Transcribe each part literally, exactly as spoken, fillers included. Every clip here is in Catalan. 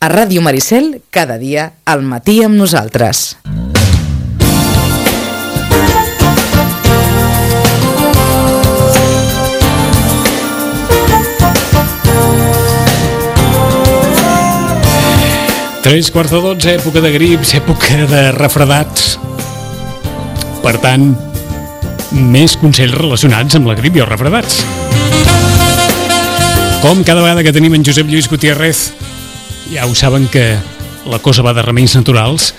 A Ràdio Maricel, cada dia al matí amb nosaltres. Tres quarts de dotze, època de grips, època de refredats. Per tant, més consells relacionats amb la grip i els refredats. Com cada vegada que tenim en Josep Lluís Gutiérrez, ja ho saben que la cosa va de remeis naturals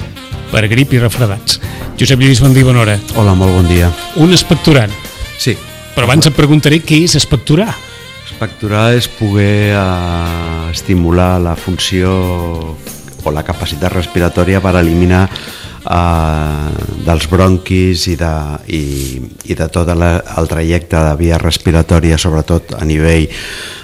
per grip i refredats. Josep Lluís, bon dia, bona hora. Hola, molt bon dia. Un expectorant. Sí. Però abans et preguntaré què és expectorar. Expectorar és poder eh, estimular la funció o la capacitat respiratòria per eliminar eh, dels bronquis i de, i, i de tot la, el trajecte de via respiratòria, sobretot a nivell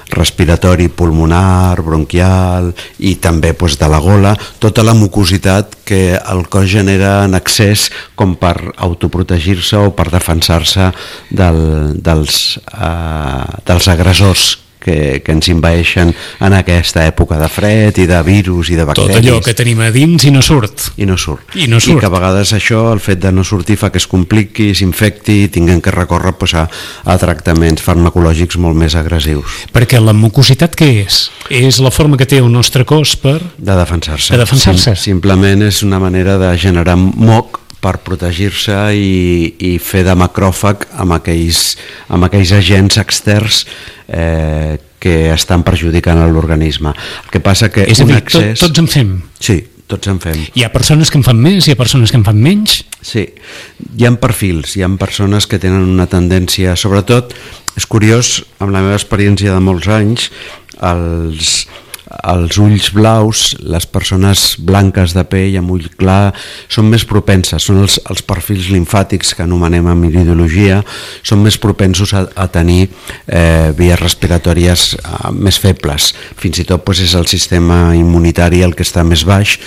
respiratori pulmonar, bronquial i també pues, de la gola, tota la mucositat que el cos genera en excés com per autoprotegir-se o per defensar-se del, dels, eh, dels agressors que, que ens envaeixen en aquesta època de fred i de virus i de bacteris. Tot allò que tenim a dins i no surt. I no surt. I no surt. I que a vegades això, el fet de no sortir, fa que es compliqui, s'infecti i tinguem que recórrer pues, a, a tractaments farmacològics molt més agressius. Perquè la mucositat què és? És la forma que té el nostre cos per... De defensar-se. De defensar-se. Sim, simplement és una manera de generar moc per protegir-se i, i fer de macròfag amb aquells, amb aquells agents externs eh, que estan perjudicant l'organisme. El que passa que és a dir, un excés... tot, tots en fem? Sí, tots en fem. Hi ha persones que en fan més, hi ha persones que en fan menys? Sí, hi ha perfils, hi ha persones que tenen una tendència, sobretot, és curiós, amb la meva experiència de molts anys, els... els ulls blaus, les persones blanques de pell amb ull clar són més propenses, són els, els perfils limfàtics que anomenem en iridologia, són més propensos a, a tenir eh, vies respiratòries eh, més febles, fins i tot pues, és el sistema immunitari el que està més baix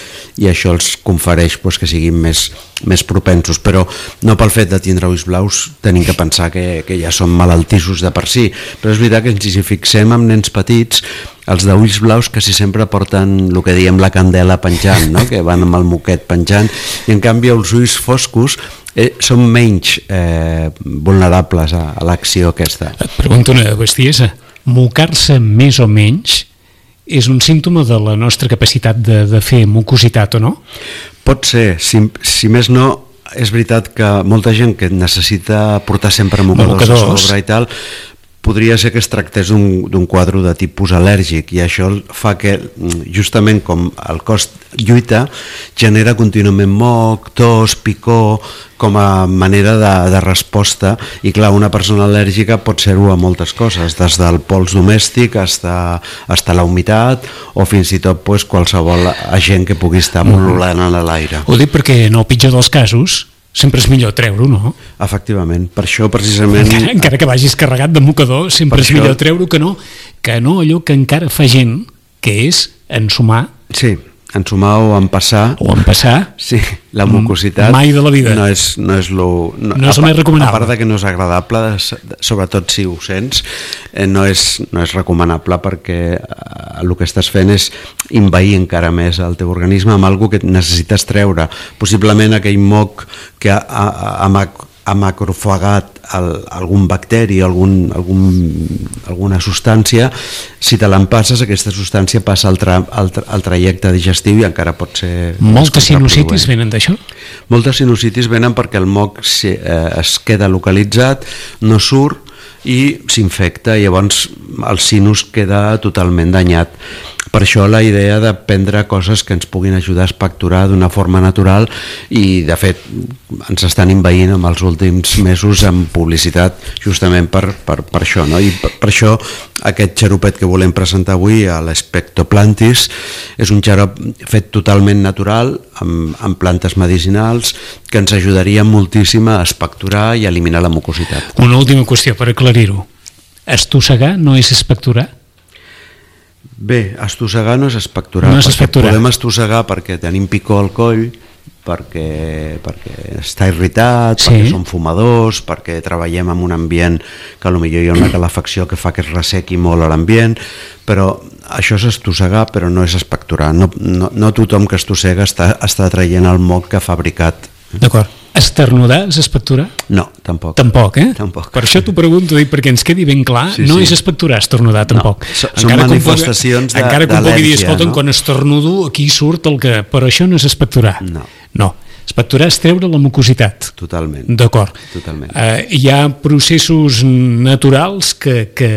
i això els confereix pues, que siguin més, més propensos, però no pel fet de tindre ulls blaus tenim que pensar que, que ja són malaltissos de per si, però és veritat que si fixem en nens petits, els d'ulls blaus que si sempre porten el que diem la candela penjant, no? Que van amb el moquet penjant, i en canvi els ulls foscos eh, són menys eh, vulnerables a, a l'acció aquesta. Et pregunto una bestiesa, mocar-se més o menys és un símptoma de la nostra capacitat de, de fer mucositat o no? Pot ser, si, si més no, és veritat que molta gent que necessita portar sempre mocadors, mocadors. a sobre i tal, podria ser que es tractés d'un quadre de tipus al·lèrgic i això fa que justament com el cos lluita genera contínuament moc, tos, picor com a manera de, de resposta i clar, una persona al·lèrgica pot ser-ho a moltes coses, des del pols domèstic fins a la humitat o fins i tot pues, qualsevol agent que pugui estar pol·lulant en l'aire. Ho dic perquè en el pitjor dels casos sempre és millor treure-ho, no? Efectivament, per això precisament... Encara, encara que vagis carregat de mocador, sempre és això... millor treure-ho que no, que no allò que encara fa gent, que és ensumar. Sí, ensumar o empassar. O empassar. Sí, la mucositat. Mai de la vida. No és, no és lo... No, no és el més recomanable. A part de que no és agradable, sobretot si ho sents, eh, no, és, no és recomanable perquè eh, el que estàs fent és invair encara més el teu organisme amb alguna que necessites treure. Possiblement aquell moc que ha, ha, ha, ha macrofagat el, algun bacteri, algun, algun, alguna substància, si te l'empasses aquesta substància passa al, tra, al, tra, al trajecte digestiu i encara pot ser... Moltes sinusitis venen d'això? Moltes sinusitis venen perquè el moc si, eh, es queda localitzat, no surt i s'infecta i llavors el sinus queda totalment danyat. Per això la idea de prendre coses que ens puguin ajudar a expectorar d'una forma natural i de fet ens estan envaint en els últims mesos amb publicitat justament per, per, per això, no? I per, per això aquest xaropet que volem presentar avui, l'Spectoplantis, és un xarop fet totalment natural amb, amb plantes medicinals que ens ajudaria moltíssim a expectorar i a eliminar la mucositat. Una última qüestió per aclarir-ho. Estossegar no és expectorar? Bé, estossegar no és expectorar, no és expectorar. Podem estossegar perquè tenim picor al coll, perquè, perquè està irritat, sí. Perquè som fumadors, perquè treballem en un ambient que potser hi ha una calefacció que fa que es ressequi molt a l'ambient, però això és estossegar, però no és expectorar. No, no, no tothom que estossega està, està traient el moc que ha fabricat. D'acord. Esternudar és expectorar? No, tampoc. Tampoc, eh? Tampoc. Per això t'ho pregunto, dic, perquè ens quedi ben clar, sí, no sí. és expectorar, esternudar, tampoc. No, són manifestacions d'al·lèrgia. Encara que un pugui dir, escolta'm, no? quan estornudo aquí surt el que... Però això no és expectorar. No. No. Expectorar és treure la mucositat. Totalment. D'acord. Totalment. Uh, hi ha processos naturals que... que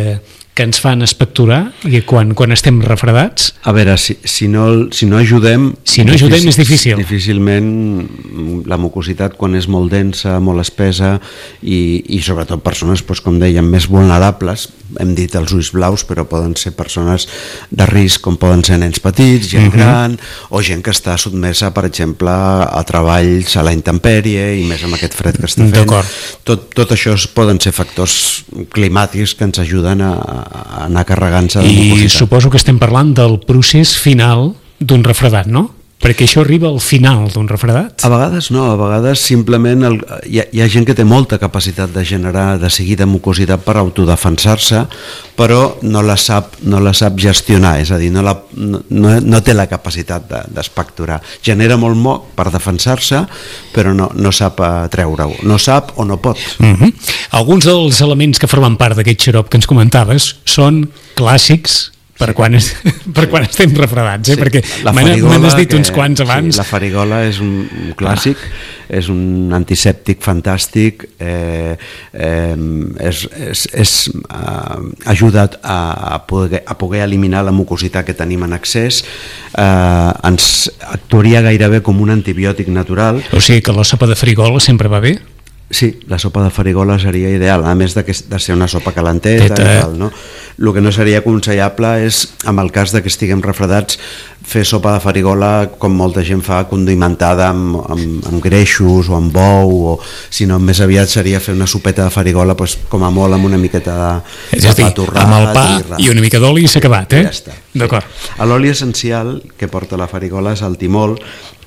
que ens fan expectorar i quan, quan estem refredats? A veure, si, si, no, si no ajudem... Si no ajudem és difícil. Difícilment la mucositat, quan és molt densa, molt espesa i, i sobretot persones, doncs, com dèiem, més vulnerables, hem dit els ulls blaus, però poden ser persones de risc, com poden ser nens petits, gent uh-huh. gran, o gent que està sotmesa, per exemple, a treballs a la intempèrie i més amb aquest fred que està fent. Tot, tot això poden ser factors climàtics que ens ajuden a a anar carregant-se de mucositat. I suposo que estem parlant del procés final d'un refredat, no? Perquè això arriba al final d'un refredat? A vegades no, a vegades simplement el, hi, ha, hi ha gent que té molta capacitat de generar de seguida mucositat per autodefensar-se, però no la sap, no la sap gestionar, és a dir, no, la, no, no té la capacitat d'espectorar. De, Genera molt moc per defensar-se, però no, no sap treure-ho, no sap o no pot. Uh-huh. Alguns dels elements que formen part d'aquest xarop que ens comentaves són clàssics per, sí. quan, es, per quan estem refredats, eh? Sí, perquè me n'has dit que, uns quants abans. Sí, la farigola és un, un clàssic, ah. és un antisèptic fantàstic, eh, eh, és, és, és eh, ajuda a, a, poder, a poder eliminar la mucositat que tenim en excés, eh, ens actuaria gairebé com un antibiòtic natural. O sigui que la sopa de farigola sempre va bé? Sí, la sopa de farigola seria ideal, a més de, que, de ser una sopa calenteta Teta. i tal, no? El que no seria aconsellable és, en el cas de que estiguem refredats, fer sopa de farigola com molta gent fa, condimentada amb, amb, amb greixos o amb bou, o sinó més aviat seria fer una sopeta de farigola pues, com a molt amb una miqueta de, és a dir, de torrat, amb el pa i, i una mica d'oli i s'ha acabat, eh? Ja està. D'acord. Sí. L'oli essencial que porta la farigola és el timol,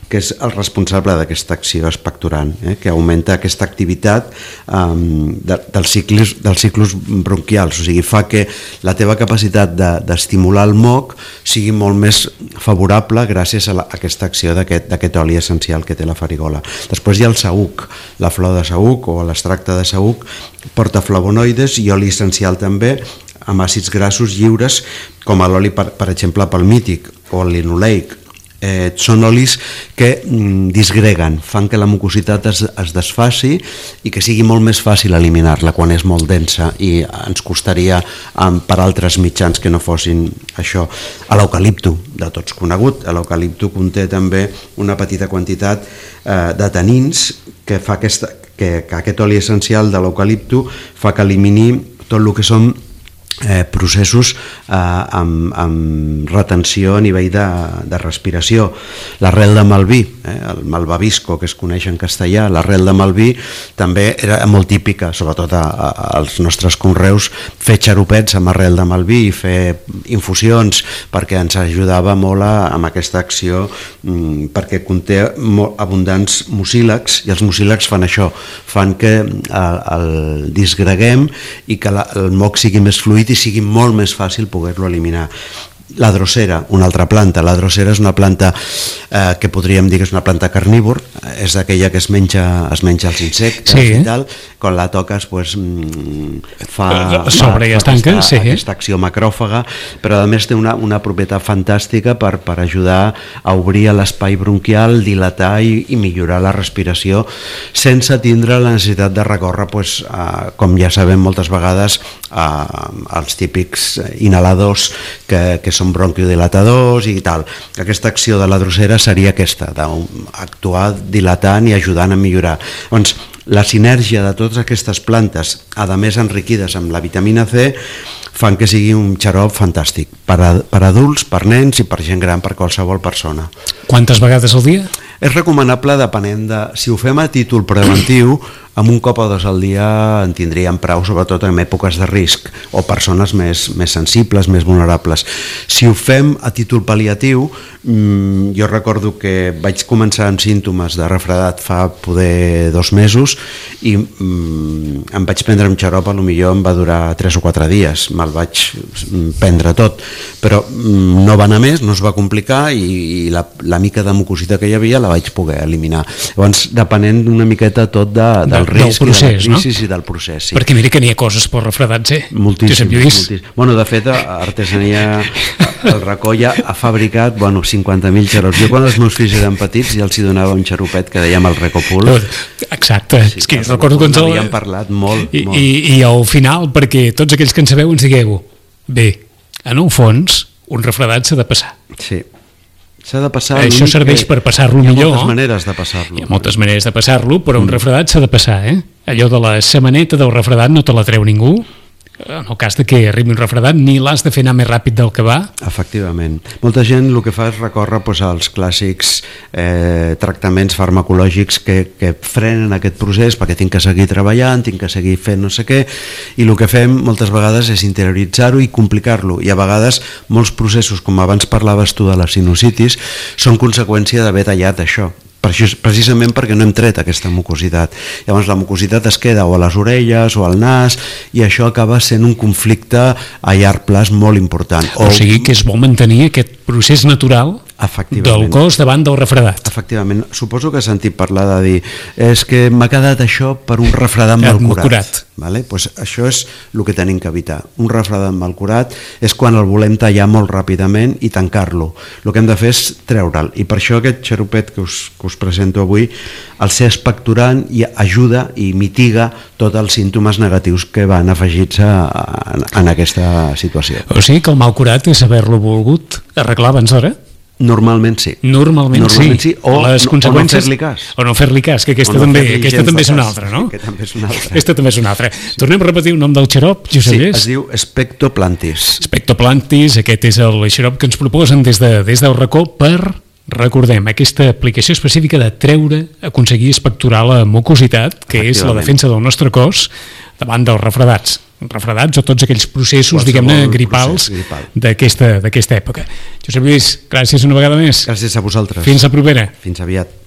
que és el responsable d'aquesta acció expectorant, eh, que augmenta aquesta activitat um, de, dels, ciclis, dels ciclos bronquials, o sigui, fa que la teva capacitat d'estimular de, el moc sigui molt més favorable gràcies a, la, a aquesta acció d'aquest oli essencial que té la farigola. Després hi ha el saüc, la flor de saüc o l'extracte de saüc porta flavonoides i oli essencial també, amb àcids grassos lliures, com l'oli, per, per exemple, palmític o el linoleic. Eh, són olis que mm, disgreguen, fan que la mucositat es, es desfaci i que sigui molt més fàcil eliminar-la quan és molt densa, i ens costaria um, per altres mitjans que no fossin això. A l'eucalipto, de tots conegut, l'eucalipto conté també una petita quantitat eh, de tanins que fa aquesta, que, que aquest oli essencial de l'eucalipto fa que elimini tot el que són Eh, processos eh, amb, amb retenció a nivell de, de respiració. L'arrel de malví, eh, el malvavisco que es coneix en castellà, l'arrel de malví també era molt típica, sobretot a, a, als nostres conreus, fer xaropets amb arrel de malví i fer infusions, perquè ens ajudava molt a, amb aquesta acció, mm, perquè conté molt abundants mucílags, i els mucílags fan això, fan que el, el disgreguem i que la, el moc sigui més fluid i sigui molt més fàcil poder-lo eliminar. La drosera, una altra planta. La drosera és una planta eh, que podríem dir que és una planta carnívor, és aquella que es menja, es menja els insectes, sí, i tal. Quan la toques pues, fa, sobre fa, fa aquesta, sí. aquesta acció macròfaga, però a més té una, una propietat fantàstica per, per ajudar a obrir l'espai bronquial, dilatar i, i millorar la respiració sense tindre la necessitat de recórrer, pues, a, com ja sabem moltes vegades, a, als típics inhaladors que, que són bronquiodilatadors i tal. Aquesta acció de la drosera seria aquesta, d'actuar dilatant i ajudant a millorar. Doncs la sinergia de totes aquestes plantes, a més enriquides amb la vitamina C, fan que sigui un xarop fantàstic per, a, per adults, per nens i per gent gran, per qualsevol persona. Quantes vegades al dia? És recomanable depenent de... Si ho fem a títol preventiu, amb un cop o dos al dia en tindríem prou, sobretot en èpoques de risc o persones més, més sensibles, més vulnerables. Si ho fem a títol pal·liatiu, mmm, jo recordo que vaig començar amb símptomes de refredat fa poder dos mesos i mmm, em vaig prendre un xarop, a lo millor em va durar tres o quatre dies, me'l vaig prendre tot, però mmm, no va anar més, no es va complicar i, i la, la mica de mucositat que hi havia la vaig poder eliminar. Llavors, depenent una miqueta tot de, del del risc procés, de la no? crisi, sí, del procés, sí. Perquè mira que n'hi ha coses per refredats, eh? Moltíssim, moltíssim. Bueno, de fet, Artesania, el Racó ja ha fabricat, bueno, cinquanta mil xarops. Jo quan els meus fills eren petits ja els hi donava un xaropet que dèiem el Recopul. Exacte, sí, és que recordo que ens el... N'havíem parlat molt, I, molt. I, I al final, perquè tots aquells que en sabeu ens digueu, bé, en el fons, un refredat s'ha de passar. Sí. S'ha de passar... Això serveix per passar-lo millor. Hi ha moltes maneres de passar-lo. Hi ha moltes maneres de passar-lo, però un refredat s'ha de passar, eh? Allò de la setmaneta del refredat no te la treu ningú. En el cas de que arribi un refredat, ni l'has de fer anar més ràpid del que va. Efectivament. Molta gent el que fa és recórrer doncs, als clàssics eh, tractaments farmacològics que, que frenen aquest procés perquè tinc que seguir treballant, tinc que seguir fent no sé què, i el que fem moltes vegades és interioritzar-ho i complicar-lo. I a vegades molts processos, com abans parlaves tu de la sinusitis, són conseqüència d'haver tallat això. Per això, precisament perquè no hem tret aquesta mucositat. Llavors la mucositat es queda o a les orelles o al nas i això acaba sent un conflicte a llarg plaç molt important. O, o sigui que és bo mantenir aquest procés natural del cos davant del refredat. Efectivament. Suposo que has sentit parlar de dir és que m'ha quedat això per un refredat mal curat. curat. Vale? Pues això és el que tenim que evitar. Un refredat mal curat és quan el volem tallar molt ràpidament i tancar-lo. El que hem de fer és treure'l. I per això aquest xaropet que us, que us presento avui, el ser expectorant i ajuda i mitiga tots els símptomes negatius que van afegits a, a, en aquesta situació. O sigui que el mal curat és haver-lo volgut arreglar abans d'hora? Normalment sí. Normalment, Normalment sí. sí. O, les conseqüències... o no fer-li cas. O no fer-li cas, que aquesta, no també, aquesta també és una altra, no? Que també és una altra. Aquesta també és una altra. Sí. Tornem a repetir el nom del xarop, Josep Sí, Lluís? es diu Spectoplantis. Spectoplantis, aquest és el xarop que ens proposen des, de, des del racó per, recordem, aquesta aplicació específica de treure, aconseguir expectorar la mucositat, que és la defensa del nostre cos davant dels refredats. refredats o tots aquells processos, diguem-ne, gripals gripal. d'aquesta d'aquesta època. Josep Lluís, gràcies una vegada més. Gràcies a vosaltres. Fins la propera. Fins aviat.